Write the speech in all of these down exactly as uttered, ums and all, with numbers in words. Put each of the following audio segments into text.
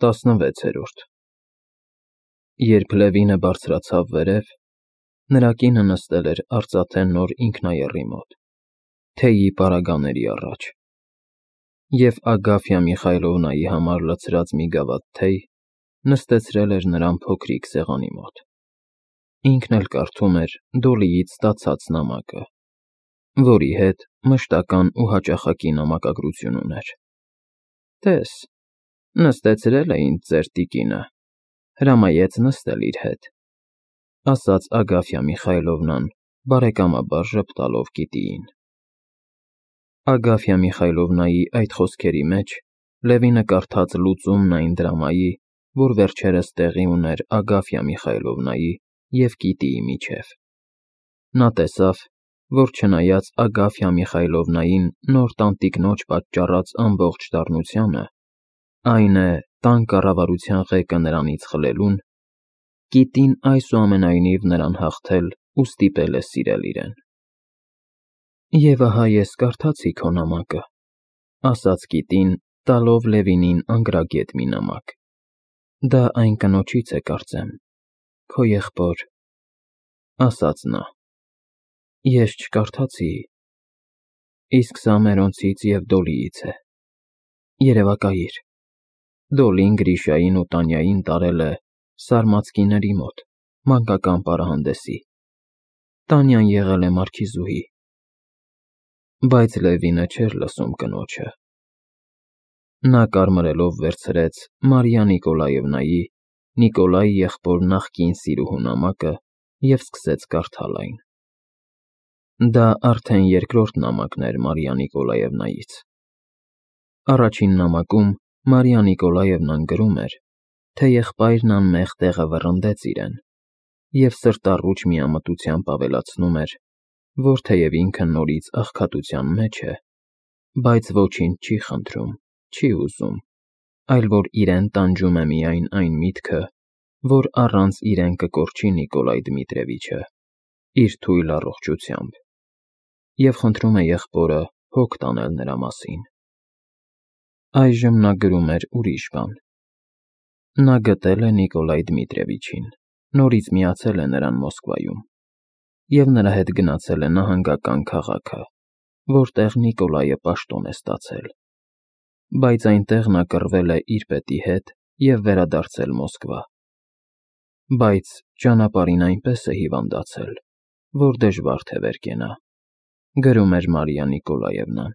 տասնվեցերորդ Երբ Լևինը բարձրացավ վերև, նրա կինը նստել էր արծաթե նոր ինքնաեռի մոտ, թեյի պարագաների առաջ, և Ագաֆյա Միխայլովնայի համար լցրած մի գավաթ թեյ նստեցրել էր նրան փոքրիկ սեղանի մոտ, ինքն էլ կարդում էր Դոլիից ստացած նամակը, որի հետ մշտական ու հաճախակի նամակագրություն ուներ. Տես, նստեցրել է ինձ ձեր տիկինը, հրամայեց նստել իր հետ, ասաց Ագաֆյա Միխայլովնան բարեկամաբար ժպտալով կիտիին։ Ագաֆյա Միխայլովնայի այդ խոսքերի մեջ Լևինը կարդաց լուծումն այն դրամայի, որ վերջերս տեղի ուներ Ագաֆյա Միխայլովնայի և կիտիի միջև։ Նա տեսավ, որ չնայած Ագաֆյա Միխայլովնային նոր տանտիկնոջ պատճառած ամբողջ դառնությանը, այն է, տան կառավարության ղեկը նրանից խլելուն, կիտին այսուամենայնիվ նրան հաղթել ու ստիպել է սիրել իրեն։ Եվ ահա ես կարդացի քո նամակը, ասաց կիտին, տալով Լևինին անգրագետ մի նամակ, դա այն կնոջից է, կարծեմ, քո եղբոր, ասաց նա։ Ես չկարդացի, իսկ սա մերոնցից և Դոլիից է, երևակայիր, Դոլին Գրիշային ու Տանյային տարել է Սարմացկիների մոտ, մանկական պարահանդեսի, Տանյան եղել է մարքիզուհի։ Բայց Լևինը չէր լսում կնոջը։ Նա կարմրելով վերցրեց Մարիա Նիկոլաևնայի, Նիկոլայի եղբոր նախկին սիրուհու նամակը և սկսեց կարդալ այն։ Դա արդեն երկրորդ նամակն էր Մարիա Նիկոլաևնայից։ Առաջին նամակում Մարիա Նիկոլաևնան գրում էր, թե եղբայրն անմեղ տեղը վռնդեց իրեն, և սրտառուչ միամտությամբ ավելացնում էր, որ թեև ինքը նորից աղքատության մեջ է, բայց ոչինչ չի խնդրում, չի ուզում, այլ որ իրեն տանջում է միայն այն միտքը, որ առանց իրեն կկորչի Նիկոլայ Դմիտրևիչը, իր թույլ առողջությամբ, և խնդրում է եղբորը հոգ տանել նրա մասին։ Այժմ նա գրում էր ուրիշ բան։ Նա գտել է Նիկոլայ Դմիտրևիչին, նորից միացել է նրան Մոսկվայում, և նրա հետ գնացել է նահանգական քաղաքը, որտեղ Նիկոլայը պաշտոն է ստացել, բայց այնտեղ նա կռվել է իր պետի հետ և վերադարձել Մոսկվա, բայց ճանապարհին այնպես է հիվանդացել, որ դժվար թե վեր կենա, գրում էր Մարիա Նիկոլաևնան,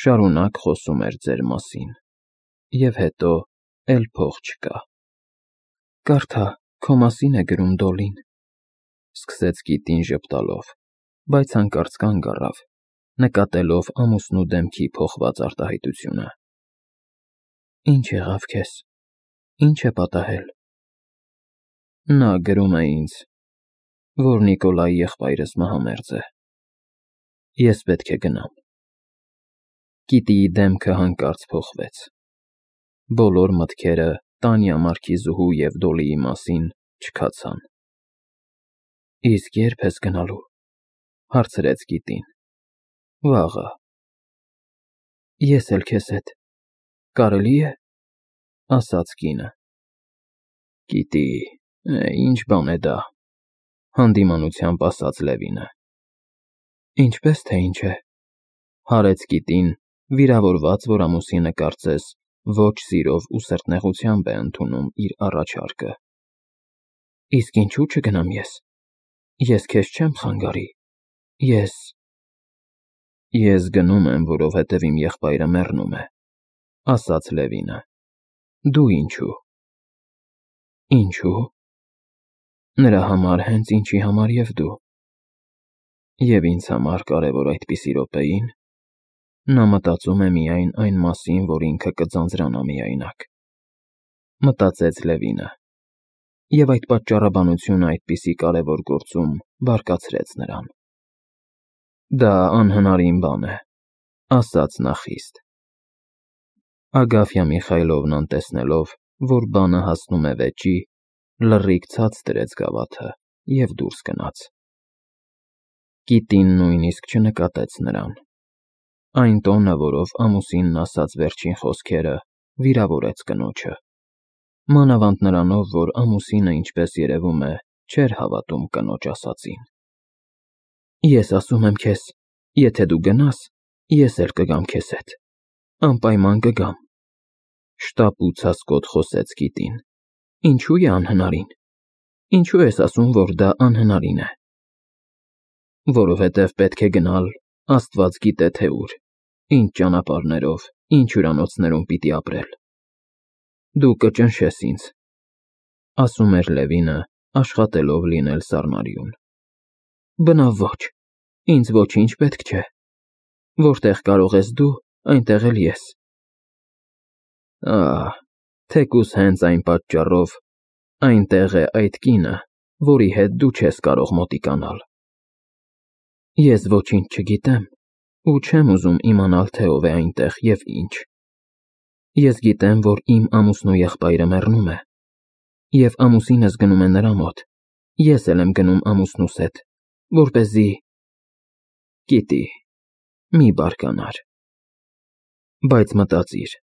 շարունակ խոսում էր ձեր մասին, և հետո էլ փող չկա։ Կարդա, քո մասին է գրում Դոլին, սկսեց կիտին ժպտալով, բայց հանկարծ կանգ առավ, նկատելով ամուսնու դեմքի փոխված արտահայտությունը։ Ինչ եղավ քեզ, ինչ է պատահել։ Նա գրում է ինձ, որ Նիկոլայի եղբայրս մահամերձ է։ Ես պետք է գնամ։ Կիտիի դեմքը հանկարծ փոխվեց։ Բոլոր մտքերը Տանյա մարքիզուհու և Դոլիի մասին չքացան։ Իսկ ե՞րբ ես գնալու, հարցրեց կիտին։ Վաղը։ Ես էլ քեզ հետ, կարելի է, ասաց կինը։ Կիտի, ինչ բան է դա, հանդիմանությամբ ասաց Լևինը։ Ինչպես թե ինչ է, հարեց կիտին, վիրավորված, որ ամուսինը կարծես ոչ սիրով ու սրտնեղությամբ է ընդունում իր առաջարկը։ Իսկ ինչու չգնամ ես, ես քեզ չեմ խանգարի, ես… Ես գնում եմ, որովհետև իմ եղբայրը մեռնում է, ասաց Լևինը։ Դու ինչու։ Ինչու։ Նրա համար հենց ինչի համար և դու։ Եվ ինձ համար կարևոր այդպիսի րոպեին, նա մտածում է միայն այն մասին, որ ինքը կձանձրանա միայնակ, մտածեց Լևինը, և այդ պատճառաբանությունը այդպիսի կարևոր գործում բարկացրեց նրան։ Դա անհնարին բան է, ասաց նա խիստ։ Ագաֆյա Միխայլովնան տեսնելով, որ բանը հասնում է վեճի, լռիկ ցած դրեց գավաթը և դուրս գնաց։ Կիտին նույնիսկ չնկատեց նրան։ Այն տոնը, որով ամուսինն ասաց վերջին խոսքերը, վիրավորեց կնոջը։ Մանավանդ նրանով, որ ամուսինը, ինչպես երևում է, չէր հավատում կնոջ ասածին։ Ես ասում եմ քեզ, եթե դու գնաս, ես էլ կգամ քեզ հետ, անպայման կգամ, շտապ ու ցասկոտ խոսեց Կիտին։ Ինչու է անհնարին։ Ինչու ես ասում, որ դա անհնարին է։ Որովհետև պետք է գնալ, Աստված գիտե թե ուր, ինչ ճանապարհներով, ինչ հյուրանոցներում պիտի ապրել։ Դու կճնշես ինձ, ասում էր Լևինը, աշխատելով լինել սառնարյուն։ Բնավ ոչ, ինձ ոչինչ պետք չէ։ Որտեղ կարող ես դու, այնտեղ էլ ես։ Ահ, թեկուզ հենց այն պատճառով այնտեղ է այդ կինը, որի հետ դու չես կարող մոտիկանալ։ Ես ոչինչ չգիտեմ ու չեմ ուզում իմանալ, թե ով է այնտեղ և ինչ։ Ես գիտեմ, որ իմ ամուսնու եղբայրը մեռնում է, և ամուսինս գնում է նրա մոտ, ես էլ եմ գնում ամուսնուս հետ, որպեսզի… Կիտի, մի բարկանար։ Բայց մտածիր,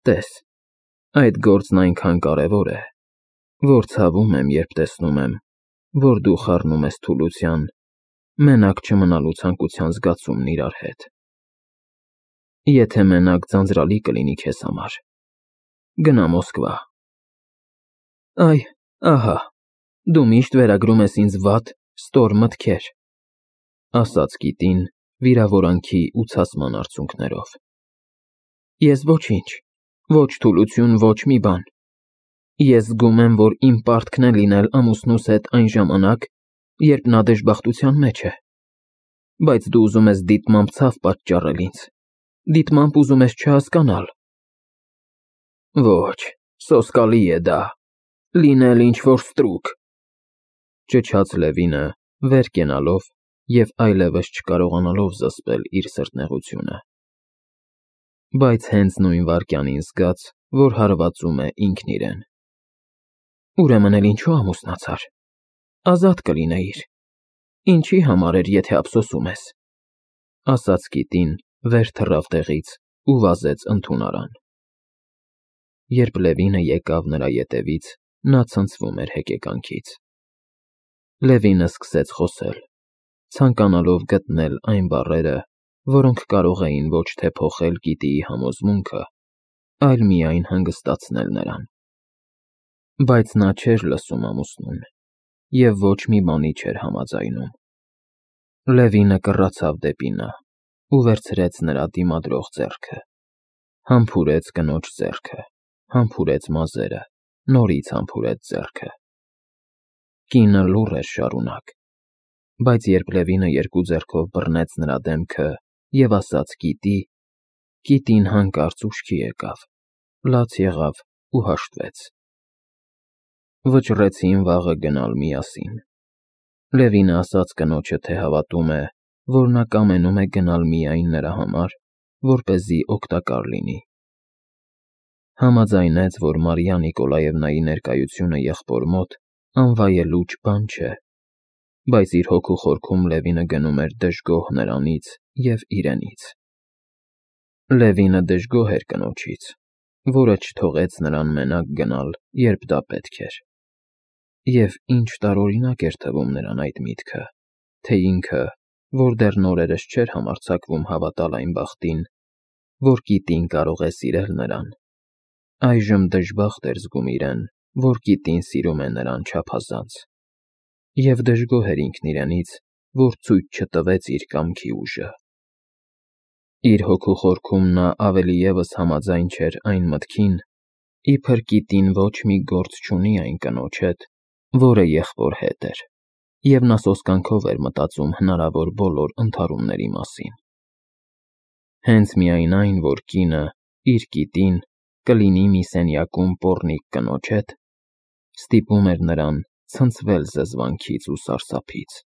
տես, այդ գործն այնքան կարևոր է, որ ցավում եմ, երբ տեսնում եմ, որ դու խառնում ես թուլության, մենակ չմնալու ցանկության զգացումն իրար հետ։ Եթե մենակ ձանձրալի կլինի քեզ համար, գնա Մոսկվա։ Այ, ահա, դու միշտ վերագրում ես ինձ վատ, ստոր մտքեր, ասաց Կիտին վիրավորանքի ու ցասման արցունքներով։ Ես ոչինչ, ոչ թուլություն, ոչ մի բան։ Ես զգում եմ, որ իմ պարտքն է լինել ամուսնուս հետ այն ժամանակ, երբ նա դժբախտության մեջ է։ Բայց դու ուզում ես դիտմամբ ցավ պատճառել ինձ, դիտմամբ ուզում ես չհասկանալ։ Ոչ, սոսկալի է դա, լինել ինչ-որ ստրուկ, ճչաց Լևինը, վեր կենալով և այլևս չկարողանալով զսպել իր սրտնեղությունը։ Բայց հենց նույն վայրկյանին զգաց, որ հարվածում է ինքն իրեն։ Ուրեմն էլ ինչու ամուսնացար, ազատ կլինեիր, ինչի համար էր, եթե ափսոսում ես, ասաց Կիտին, վեր թռավ տեղից ու վազեց ընդունարան։ Երբ Լևինը եկավ նրա ետևից, նա ցնցվում էր հեկեկանքից։ Լևինը սկսեց խոսել, ցանկանալով գտնել այն բառերը, որոնք կարող էին ոչ թե փոխել Կիտիի համոզմունքը, այլ միայն հանգստացնել նրան։ Բայց նա չէր լսում ամուսնուն և ոչ մի բանի չէր համաձայնում։ Լևինը կռացավ դեպի նա ու վերցրեց նրա դիմադրող ձեռքը, համբուրեց կնոջ ձեռքը, համբուրեց մազերը, նորից համբուրեց ձեռքը։ Կինը լուռ էր շարունակ, բայց երբ Լևինը երկու ձեռքով բռնեց նրա դեմքը և ասաց Կիտի, Կիտին հանկարծ ուշքի եկավ, լաց եղավ ու հաշտվեց։ Վճռեցին վաղը գնալ միասին։ Լևինը ասաց կնոջը, թե հավատում է, որ նա կամենում է գնալ միայն նրա համար, որպեսզի օգտակար լինի։ Համաձայնեց, որ Մարիա Նիկոլաևնայի ներկայությունը եղբոր մոտ անվայելուչ բան չէ, բայց իր հոգու խորքում Լևինը գնում էր դժգոհ նրանից և իրենից։ Լևինը դժգոհ էր կնոջից, որը չթողեց նրան մենակ գնալ, երբ դա պետք էր։ Եվ ինչ տարօրինակ էր թվում նրան այդ միտքը, թե ինքը, որ դեռ նորերս չէր համարձակվում հավատալ այն բախտին, որ Կիտին կարող է սիրել նրան, այժմ դժբախտ էր զգում իրեն, որ Կիտին սիրում է նրան չափազանց, և դժգոհ էր ինքն իրենից, որ ցույց չտվեց իր կամքի ուժը։ Իր հոգու խորքում նա ավելի ևս համաձայն չէր այն մտքին, իբր Կիտին ոչ մի գործ չունի այն կնոջ հետ, որը եղբոր հետ էր, և նա սոսկանքով էր մտածում հնարավոր բոլոր ընդհարումների մասին։ Հենց միայն այն, որ կինը, իր Կիտին, կլինի մի սենյակում պոռնիկ կնոջ հետ, ստիպում էր նրան ցնցվել զզվանքից ու սարսափից։